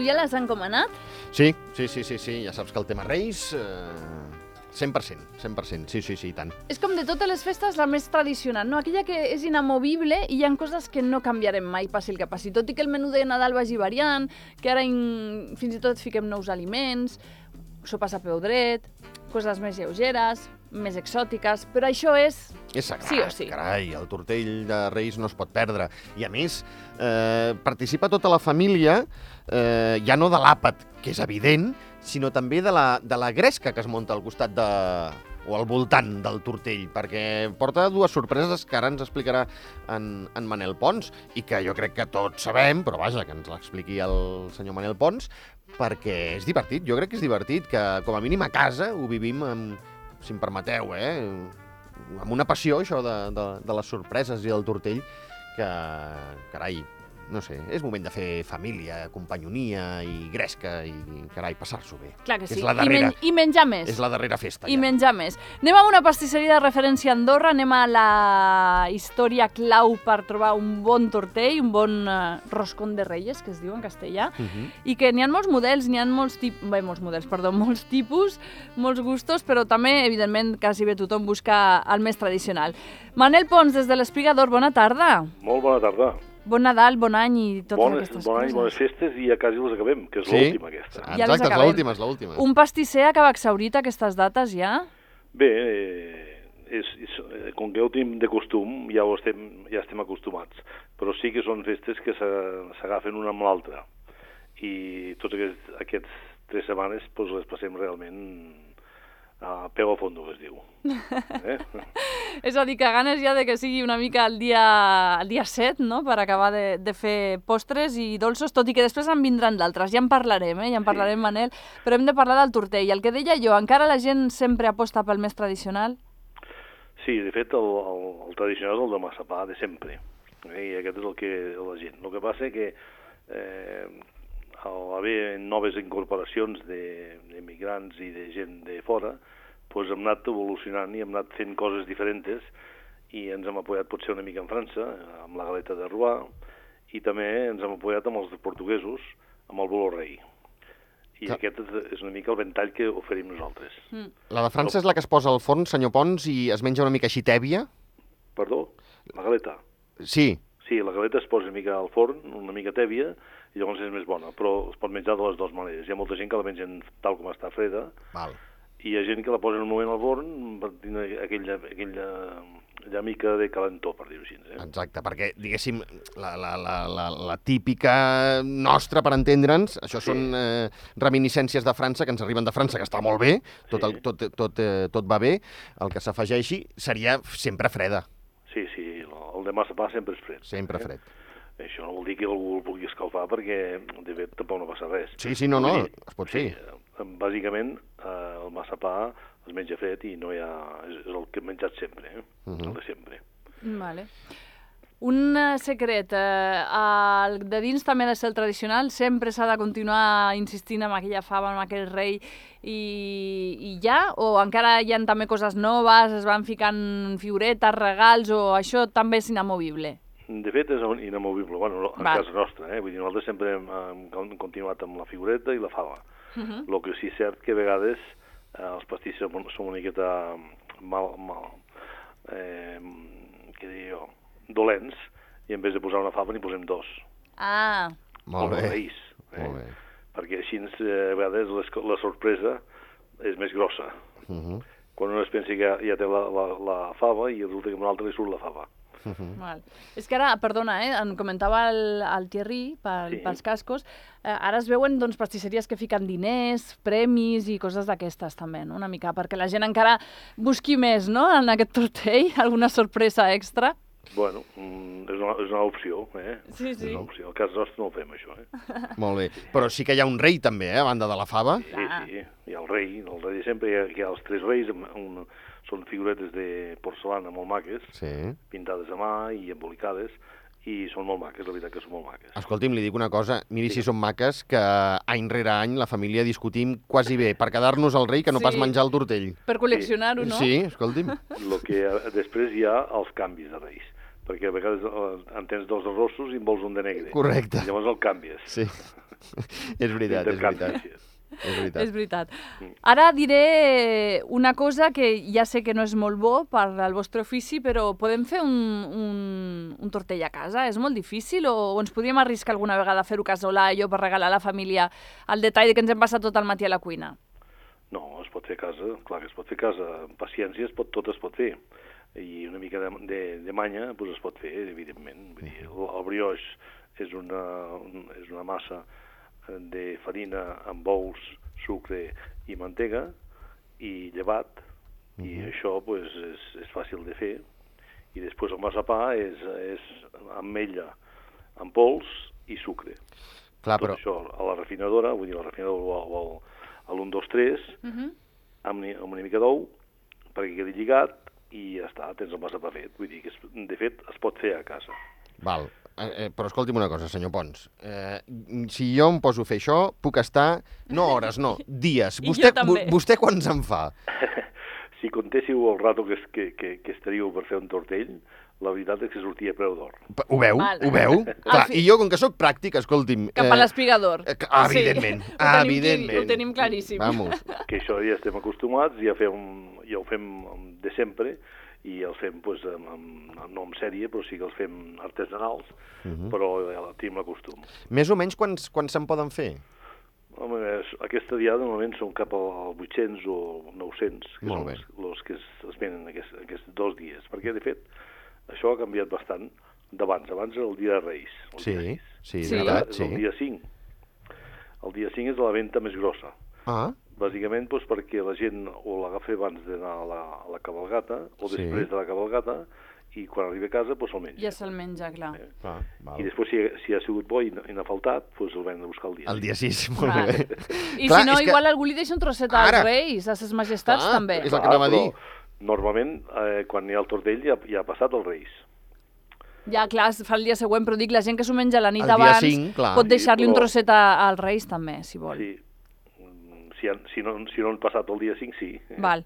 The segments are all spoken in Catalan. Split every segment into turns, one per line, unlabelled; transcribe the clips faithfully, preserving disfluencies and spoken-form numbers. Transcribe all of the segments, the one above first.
Ja l'has encomanat?
Sí, sí, sí, sí, sí. Ja saps que el tema Reis... Eh... cent per cent, cent per cent, sí, sí, sí, i tant.
És com de totes les festes la més tradicional, no? Aquella que és inamovible i hi ha coses que no canviarem mai, passi el que passi. Tot i que el menú de Nadal vagi variant, que ara in... fins i tot fiquem nous aliments, sopes a peu dret, coses més lleugeres, més exòtiques, però això és...
És sagrat,
sí o sí.
Carai, el tortell de Reis no es pot perdre. I a més, eh, participa tota la família, eh, ja no de l'àpat, que és evident, sinó també de la, de la gresca que es munta al costat de... o al voltant del tortell, perquè porta dues sorpreses que ara ens explicarà en, en Manel Pons, i que jo crec que tots sabem, però vaja, que ens l'expliqui el senyor Manel Pons, perquè és divertit, jo crec que és divertit, que com a mínim a casa ho vivim, amb, si em permeteu, eh, amb una passió, això de, de, de les sorpreses i del tortell, que, carai, no sé, és moment de fer família, companyonia i gresca i, carai, passar-s'ho bé.
Clar que sí,
és la darrera,
I, men I menjar més.
És la darrera festa,
I
ja.
menjar més. Anem a una pastisseria de referència a Andorra, anem a la història clau per trobar un bon tortell, un bon uh, roscón de reyes, que es diu en castellà, uh -huh. i que n'hi ha molts models, n'hi ha molts tipus, bé, molts models, perdó, molts tipus, molts gustos, però també, evidentment, quasi bé tothom busca el més tradicional. Manel Pons, des de l'Espiga d'Or, bona tarda.
Molt bona tarda.
Bon Nadal, bon any i totes
bones,
aquestes
bon
coses.
Bon any, bones festes i ja quasi les acabem, que és
sí?
l'última aquesta.
Ja
exacte, és l'última, és l'última.
Un pastisser acaba exhaurit aquestes dates ja?
Bé, eh, és, és, com que ho tenim de costum, ja, ho estem, ja estem acostumats, però sí que són festes que s'agafen una amb l'altra. I tots aquests, aquests tres setmanes doncs, les passem realment a peu a fondo, que es diu. Eh?
És a dir, que ganes ja de que sigui una mica el dia, el dia set, no?, per acabar de, de fer postres i dolços, tot i que després en vindran d'altres. Ja en parlarem, eh? Ja en parlarem, sí. Manel, però hem de parlar del tortell. El que deia jo, encara la gent sempre aposta pel més tradicional?
Sí, de fet, el, el, el tradicional és el de massapà de sempre, eh? I aquest és el que la gent. El que passa és que eh, al haver noves incorporacions d'emigrants i de gent de fora, doncs hem anat evolucionant i hem anat fent coses diferents i ens hem apoyat potser una mica en França, amb la galeta de Rouen, i també ens hem apoyat amb els portuguesos, amb el bolo rei. I ja. Aquest és una mica el ventall que oferim nosaltres.
Mm. La de França és la que es posa al forn, senyor Pons, i es menja una mica així tèbia?
Perdó? La galeta?
Sí.
Sí, la galeta es posa una mica al forn, una mica tèbia, i llavors és més bona, però es pot menjar de les dues maneres. Hi ha molta gent que la mengen tal com està freda,
Val.
i hi ha gent que la posa en un moment al forn per tenir aquella, aquella, aquella mica de calentó, per dir-ho així. Eh?
Exacte, perquè, diguéssim, la, la, la, la, la típica nostra, per entendre'ns, això sí. són eh, reminiscències de França, que ens arriben de França, que està molt bé, tot, el, tot, tot, eh, tot va bé, el que s'afegeixi seria sempre freda.
Sí, sí, el de massapà sempre és fred.
Sempre fred.
Eh? Això no vol dir que algú el vulgui escalfar, perquè de fet tampoc no passa res.
Sí, sí, no, no, sí, es pot fer.
Sí, bàsicament, eh, el massapà es menja fred i no hi ha... és el que hem menjat sempre, eh? Uh -huh. El de sempre.
Vale. Un secret, eh, el de dins també ha de ser el tradicional, sempre s'ha de continuar insistint en aquella fava, en aquell rei, i, i ja? O encara hi ha també coses noves, es van ficant figuretes, regals, o això també és inamovible?
De fet, és inamovible, bueno, en Val. Casa nostra, eh? Vull dir, nosaltres sempre hem, hem continuat amb la figureta i la fava. El uh -huh. que sí és cert que a vegades eh, els pastissers són una miqueta mal, mal eh, què dir jo, dolents, i en vez de posar una fava n'hi posem dos.
Ah.
Molt bé.
Reis, eh?
Molt bé.
Perquè així eh, a vegades la sorpresa és més grossa. Uh -huh. Quan un es pensa que ja, ja té la, la, la fava i resulta que a un altre li surt la fava.
Uh -huh. Val. És que ara, perdona, eh, em comentava el, el Thierry pel, sí. pels cascos, eh, ara es veuen doncs, pastisseries que fiquen diners, premis i coses d'aquestes també, no? Una mica, perquè la gent encara busqui més, no?, en aquest tortell, alguna sorpresa extra.
Bueno, és una, és una opció, eh?
Sí, sí.
És una opció. Al cas nostre no ho fem, això, eh?
Molt bé. Però sí que hi ha un rei també, eh, a banda de la fava.
Sí, sí, hi ha el rei, el rei de sempre, hi ha, hi ha els tres reis, un, són figuretes de porcelana molt maques,
sí.
pintades a mà i embolicades, i són molt maques, la veritat que són molt maques.
Escolti'm, li dic una cosa, miri si són maques, que any rere any la família discutim quasi bé per quedar-nos al rei que no
Sí.
pas menjar el tortell.
Per col·leccionar-ho, no?
Sí, escolti'm.
Lo que eh, després hi ha els canvis de reis, perquè a vegades eh, en tens dos arrossos i en vols un de negre.
Correcte.
I llavors el canvies.
Sí, és veritat, és
Intercanvis,
veritat.
sí.
És veritat.
És veritat. Ara diré una cosa que ja sé que no és molt bo per al vostre ofici, però podem fer un, un, un tortell a casa? És molt difícil o, o ens podríem arriscar alguna vegada a fer-ho casolà, allò per regalar a la família el detall de que ens hem passat tot el matí a la cuina?
No, es pot fer a casa, clar que es pot fer a casa. Amb paciència es pot, tot es pot fer. I una mica de, de, de manya doncs es pot fer, evidentment. Vull dir, el, el brioix és una, un, és una massa de farina amb ous, sucre i mantega i llevat, uh-huh. i això pues, és, és fàcil de fer. I després el massapà és, és ametlla amb pols i sucre.
Clar,
Tot
però...
això a la refinadora, vull dir, la refinadora o al, a l'un, dos, tres,
Uh-huh.
amb, amb una mica d'ou, perquè quedi lligat, i ja està, tens el massapà fet. Vull dir que, es, de fet, es pot fer a casa.
Val. Eh, eh, però escolti'm una cosa, senyor Pons. Eh, si jo em poso a fer això, puc estar, no hores, no, dies.
I
Vostè,
jo també.
vo- vostè quants en fa?
Si contéssiu el rato que, es- que, que, que estaríeu per fer un tortell, la veritat és que sortia a preu d'or.
P- Ho veu?
Val.
Ho veu? Clar,
fi-
i jo, com que sóc pràctic, escolti'm...
Cap a l'espigador.
eh, ah, evidentment,
Sí, ho tenim
evidentment.
clar- ho tenim claríssim.
Vamos.
Que això ja estem acostumats, ja, fem, ja ho fem de sempre, i els fem, pues, amb, amb, no en sèrie, però sí que els fem artesanals,
Mhm.
però ja tenim l'acostum.
Més o menys quants, quants se'n poden fer?
Home, és- aquesta diada normalment són cap als vuit-cents o nou-cents, que
Molt
són
bé.
els, els que es, es venen aquests, aquests dos dies. Perquè, de fet, això ha canviat bastant d'abans. Abans era el dia de Reis. El
Sí,
dia sis.
sí, és
Sí.
Ara
veritat,
és
sí.
el dia cinc. El dia cinc és la venda més grossa.
Ah,
Bàsicament doncs, perquè la gent o l'agafa abans d'anar a la, a la cabalgata o
Sí.
després de la cabalgata i quan arriba a casa doncs, el menja.
Ja se'l menja, clar.
Eh?
clar, val.
I després, si, si ha sigut bo i, no- i n'ha faltat, doncs el venen a buscar el dia.
El dia sis, molt
Clar.
bé.
I
Clar,
si no,
és que-
igual algú li deixa un trosset als
Ara.
reis, a ses majestats
Clar,
també.
és el que anava a dir.
Normalment, eh, quan hi ha el tortell, ja, ja ha passat els Reis.
Ja, clar, es fa el dia següent, però dic, la gent que s'ho menja la nit
El dia
abans
cinc, clar.
pot deixar-li
Sí,
un
però-
trosset a, als reis també, si vol.
Sí. Mm, Si, han, si, no, si no han passat el dia cinc, sí.
Val.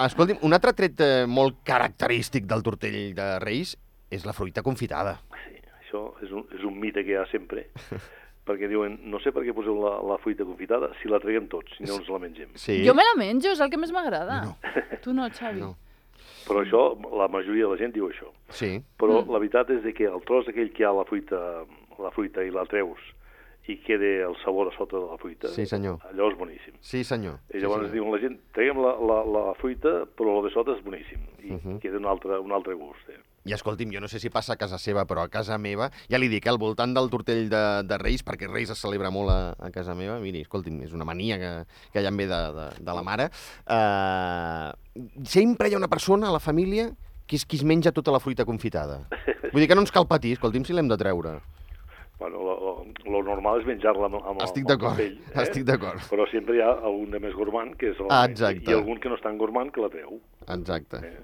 Escolti'm, un altre tret eh, molt característic del tortell de Reis és la fruita confitada.
Sí, això és un, és un mite que hi ha sempre, perquè diuen, no sé per què poseu la, la fruita confitada si la traguem tots, si no ens la mengem.
Sí.
Jo me la menjo, és el que més m'agrada.
No.
Tu no, Xavi.
No.
Però això, la majoria de la gent diu això.
Sí.
Però
Mm.
la veritat és de que el tros aquell que hi ha la fruita, la fruita i la treus i queda el sabor a sota de la fruita,
Sí, senyor.
allò és boníssim.
Sí, senyor.
I
Sí,
llavors
senyor.
diuen la gent, traguem la, la, la fruita, però el de sota és boníssim. I
Uh -huh.
queda un altre, un altre gust. Eh?
I escolti'm, jo no sé si passa a casa seva, però a casa meva, ja li dic, eh, al voltant del tortell de, de Reis, perquè Reis es celebra molt a, a casa meva, miri, escolti'm, és una mania que, que ja em ve de, de, de la mare, uh, sempre hi ha una persona a la família que és qui es menja tota la fruita confitada. Vull dir que no ens cal patir, escolti'm, si l'hem de treure.
Bueno, lo, lo, lo normal és menjar-la amb, amb,
Estic
amb el
d'acord,
tortell, eh?
estic d'acord.
Però sempre hi ha algun de més gourmand que és el
Ah,
menja,
exacte.
i algun que no és tan gourmand que la treu.
Exacte.
Eh?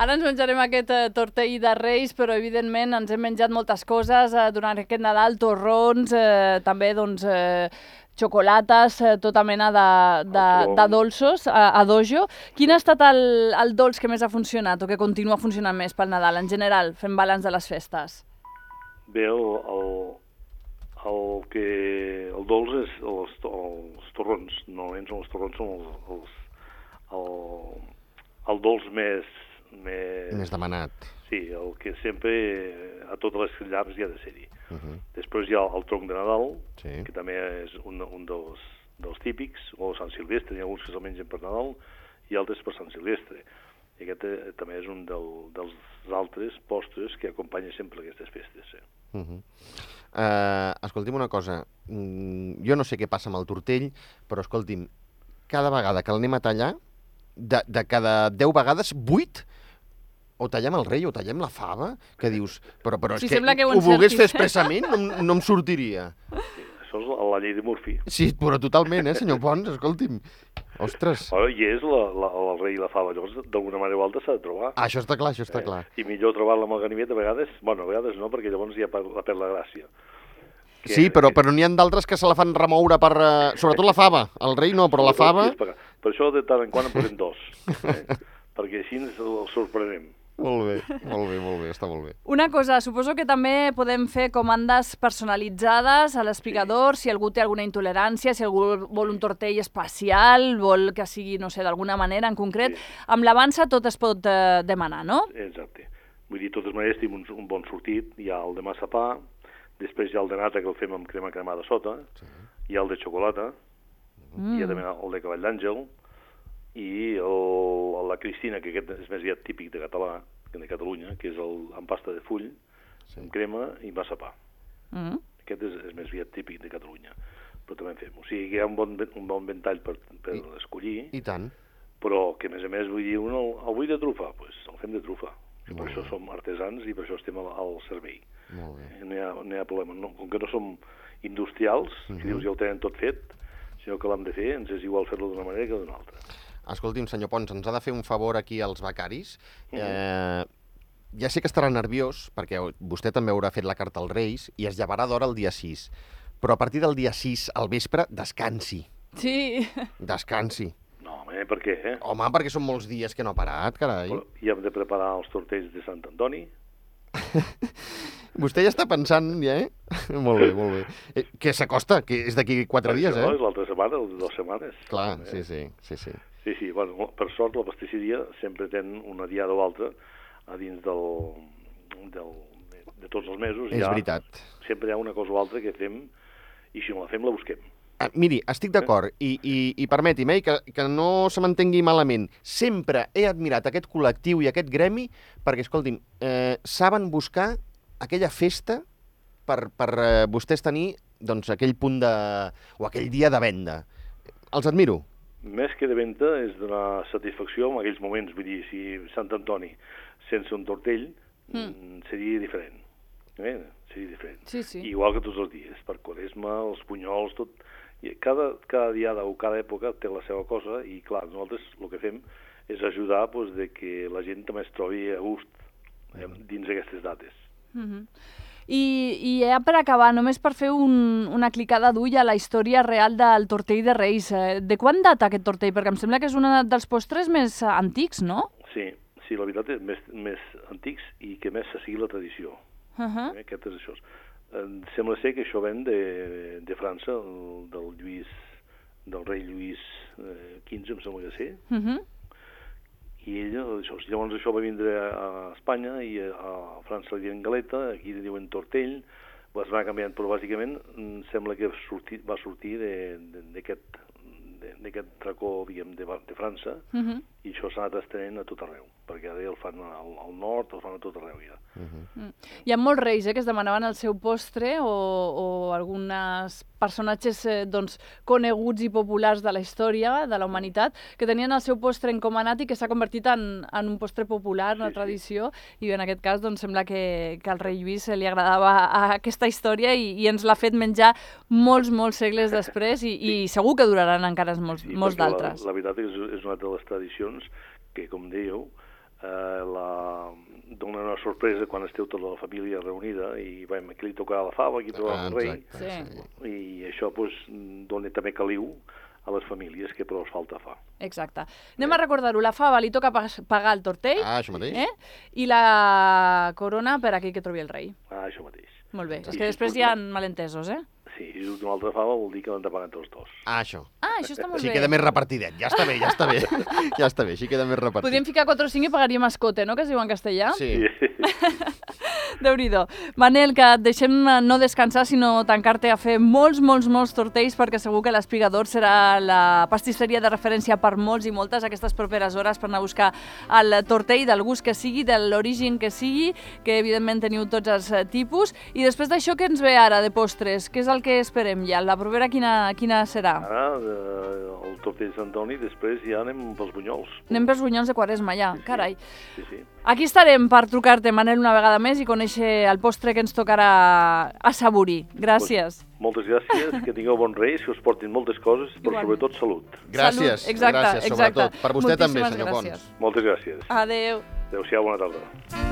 Ara ens menjarem aquest eh, tortell de Reis, però evidentment ens hem menjat moltes coses eh, durant aquest Nadal, torrons, eh, també doncs, eh, xocolates, eh, tota mena de, de,
El
de
tron.
dolços a, a dojo. Quin ha estat el, el dolç que més ha funcionat o que continua funcionant més pel Nadal, en general, fent balanç de les festes?
Bé, el, el, el que el dolç és els, els torrons. Normalment són els torrons, són els, els, el, el dolç més, més...
Més demanat.
Sí, el que sempre a totes les llars hi ha de ser-hi.
Uh -huh.
Després hi ha el tronc de Nadal,
Sí.
que també és un, un dels, dels típics, o Sant Silvestre, hi ha alguns que se'l mengen per Nadal i altres per Sant Silvestre. I aquest eh, també és un del, dels altres postres que acompanya sempre aquestes festes. Eh?
Uh -huh. uh, escolti'm una cosa, mm, jo no sé què passa amb el tortell, però escolti'm, cada vegada que l'anem a tallar, de, de cada deu vegades, vuit, o tallem el rei o tallem la fava, que dius, però, però és
Sí,
que,
sembla que ho
ho volgués
encertis.
fer expressament, no, em- no em sortiria.
Sí, això és la, la la llei de Murphy.
Sí, però totalment, eh, senyor Pons, escolti'm. Ostres.
Bueno, I és la, la, el rei i la fava, llavors d'alguna manera o altra s'ha de trobar.
Ah, això està clar, això està
Eh,
clar.
I millor trobar-la amb el ganivet a vegades, bueno, a vegades no, perquè llavors ja per- la perd la gràcia. Que-
Sí, però, però n'hi ha d'altres que se la fan remoure per... eh, sobretot la fava. El rei no, però la fava...
Per, per això de tant en quant en posem dos, eh? perquè així ens el sorprenem.
Molt bé, molt bé, molt bé, està molt bé.
Una cosa, suposo que també podem fer comandes personalitzades a l'espigador, si algú té alguna intolerància, si algú vol un tortell especial, vol que sigui, no sé, d'alguna manera en concret.
Sí.
Amb l'avança tot es pot eh, demanar, no?
Exacte. Vull dir, de totes maneres, tenim un, un bon sortit. Hi ha el de massapà, després hi ha el de nata, que el fem amb crema cremada a sota, sí. Hi ha el de xocolata, mm. Hi ha també el de cavall d'àngel, i el, la Cristina, que aquest és més aviat típic de català, de Catalunya, que és el amb pasta de full, sí. Amb crema i massapà.
Mm.
Aquest és, és més aviat típic de Catalunya, però també en fem. O sigui, hi ha un bon, un bon ventall per, per I, escollir,
I tant.
però que, a més a més, vull dir, un el, el vull de trufa, doncs pues, el fem de trufa.
Molt
per
bé.
això som artesans i per això estem al, al servei.
Molt bé.
No hi ha, no hi ha problema. No, com que no som industrials, uh -huh. que dius ja ho tenen tot fet, sinó que l'hem de fer, ens és igual fer-lo d'una manera que d'una altra.
Escolti'm, senyor Pons, ens ha de fer un favor aquí als becaris. Eh, ja sé que estarà nerviós, perquè vostè també haurà fet la carta als Reis i es llevarà d'hora el dia sis. Però a partir del dia sis, al vespre, descansi.
Sí.
Descansi.
No, home, per què, eh?
Home, perquè són molts dies que no ha parat, carai.
Però ja hem de preparar els tortells de Sant Antoni.
Vostè ja està pensant, ja, eh? Molt bé, molt bé. Eh, que s'acosta, que és d'aquí quatre dies,
això,
eh?
és l'altra setmana, o dues setmanes.
Clar,
eh?
sí, sí, sí, sí.
Sí, sí, bueno, per sort la pastisseria sempre ten una diada o altra a dins del, del, de, de tots els mesos.
És
ha,
veritat.
Sempre hi ha una cosa o altra que fem i si no la fem la busquem.
Ah, miri, estic d'acord, i, i, i permeti'm, eh, que, que no se m'entengui malament. Sempre he admirat aquest col·lectiu i aquest gremi perquè, escolti'm, eh, saben buscar aquella festa per, per eh, vostès tenir doncs, aquell punt de... o aquell dia de venda. Els admiro.
Més que de venda és donar satisfacció en aquells moments. Vull dir, si Sant Antoni sense un tortell mm. seria diferent. Eh? Seria diferent.
Sí, sí.
Igual que tots els dies, per Quaresma, els punyols, tot... I cada, cada diada o cada època té la seva cosa i, clar, nosaltres el que fem és ajudar doncs, de que la gent també es trobi a gust eh, dins aquestes dates.
Mm-hmm. I, I ja per acabar, només per fer un, una clicada d'ull a la història real del tortell de Reis. De quan data aquest tortell? Perquè em sembla que és un dels postres més antics, no?
Sí, sí, la veritat és més, més antics i que més se sigui la tradició.
Uh-huh.
eh, aquest és això. Em sembla ser que això ven de, de França, el, del Lluís, del rei Lluís eh, quinze, em sembla que sí.
Uh-huh.
I ella, això, llavors això va vindre a Espanya i a, a França li diuen galeta, aquí li diuen tortell, es va canviant, però bàsicament em sembla que sortir, va sortir d'aquest d'aquest racó, diguem, de, de França,
uh-huh.
i això s'ha anat estenent a tot arreu, perquè ara el fan al, al nord, el fan a tot arreu ja.
Uh-huh.
Mm. Hi ha molts reis eh, que es demanaven el seu postre o, o alguns personatges eh, doncs, coneguts i populars de la història, de la humanitat, que tenien el seu postre encomanat i que s'ha convertit en, en un postre popular, una
sí,
tradició, sí. I en aquest cas doncs, sembla que, que al rei Lluís li agradava a aquesta història i, i ens l'ha fet menjar molts, molts segles després i, sí. i segur que duraran encara molts,
sí,
molts d'altres.
La, la veritat és, és una de les tradicions que, com dèieu, eh, la... dona una sorpresa quan esteu tota la família reunida i veiem, aquí li tocarà la fava, aquí tocarà el rei,
sí.
i això pues, dona també caliu a les famílies que prou falta fa.
Exacte. Anem a recordar-ho, la fava li toca pagar el tortell,
ah, això mateix.
Eh? I la corona per aquell que trobi el rei.
Ah, això mateix.
Molt bé,
I
és que
si
després hi ha malentesos, eh?
Sí, si surt una altra fava vol dir que l'han de pagar entre els dos.
Ah, això.
Ah, això està molt
Així
bé.
queda més repartidet. Ja està bé, ja està bé. Ja està bé, així queda més repartit.
Podríem ficar quatre o cinc i pagaríem escote, no?, que es diu en castellà.
Sí.
Déu-n'hi-do. Manel, que et deixem no descansar, sinó tancar-te a fer molts, molts, molts tortells, perquè segur que l'Espigador serà la pastisseria de referència per molts i moltes aquestes properes hores per anar a buscar el tortell del gust que sigui, de l'origen que sigui, que evidentment teniu tots els tipus. I després d'això, què ens ve ara de postres? Què és el que esperem ja? La propera quina, quina serà?
Ara, eh, el tortell de Sant Antoni, després ja anem pels bunyols.
Anem pels bunyols de Quaresma, ja,
Sí, sí.
carai.
Sí, sí.
Aquí estarem per trucar-te, Manel, una vegada més i conèixer el postre que ens tocarà assaborir. Gràcies.
Pues, moltes gràcies, que tingueu bons reis, que us portin moltes coses, però
Igualment.
sobretot salut.
Gràcies,
Salut, exacte,
gràcies,
exacte.
sobretot. Per vostè també,
Moltíssimes
senyor
gràcies.
Pons.
Moltes gràcies.
Adéu.
Adéu-siau, bona tarda.